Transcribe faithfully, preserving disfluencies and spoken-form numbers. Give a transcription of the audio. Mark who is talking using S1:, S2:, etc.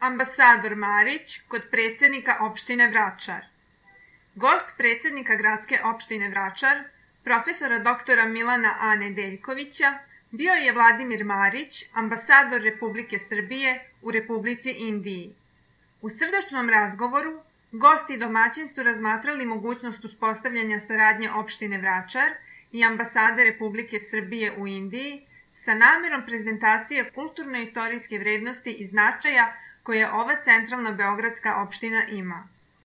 S1: Ambasador Marić kod predsednika opštine Vračar. Gost predsednika gradske opštine Vračar, profesora doktora Milana A. Nedeljkovića, bio je Vladimir Marić, ambasador Republike Srbije u Republici Indiji. U srdačnom razgovoru gosti i domaćin su razmatrali mogućnost uspostavljanja saradnje opštine Vračar i ambasade Republike Srbije u Indiji sa namerom prezentacije kulturno-istorijske vrednosti i značaja koje ova centralna beogradska opština ima.